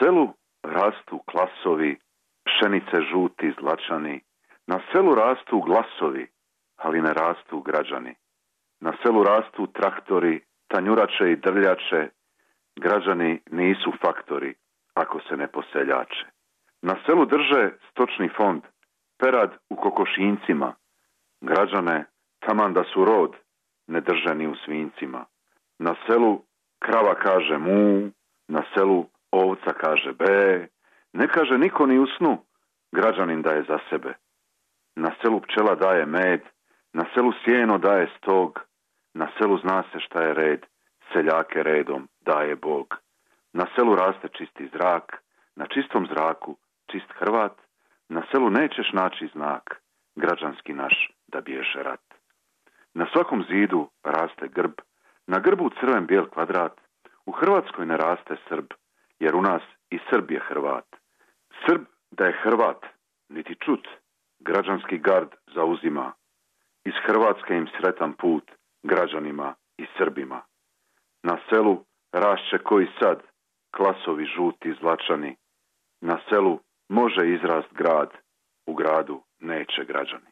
selu rastu klasovi, pšenice žuti zlačani. Na selu rastu glasovi, ali ne rastu građani. Na selu rastu traktori, tanjurače i drljače. Građani nisu faktori, ako se ne poseljače. Na selu drže stočni fond, perad u kokošincima. Građane, taman da su rod, ne drže ni u svinjcima. Na selu krava kaže mu, na selu ovca kaže be, ne kaže niko ni u snu, građanin daje za sebe. Na selu pčela daje med, na selu sjeno daje stog, na selu zna se šta je red, seljake redom daje Bog. Na selu raste čisti zrak, na čistom zraku čist Hrvat, na selu nećeš naći znak, građanski naš da bježe rat. Na svakom zidu raste grb, na grbu crven bijel kvadrat, u Hrvatskoj ne raste Srb, jer u nas i Srb je Hrvat. Srb da je Hrvat, niti čut, građanski gard zauzima. Iz Hrvatske im sretan put, građanima i Srbima. Na selu rašće koji sad, klasovi žuti zlačani. Na selu može izrast grad, u gradu neće građani.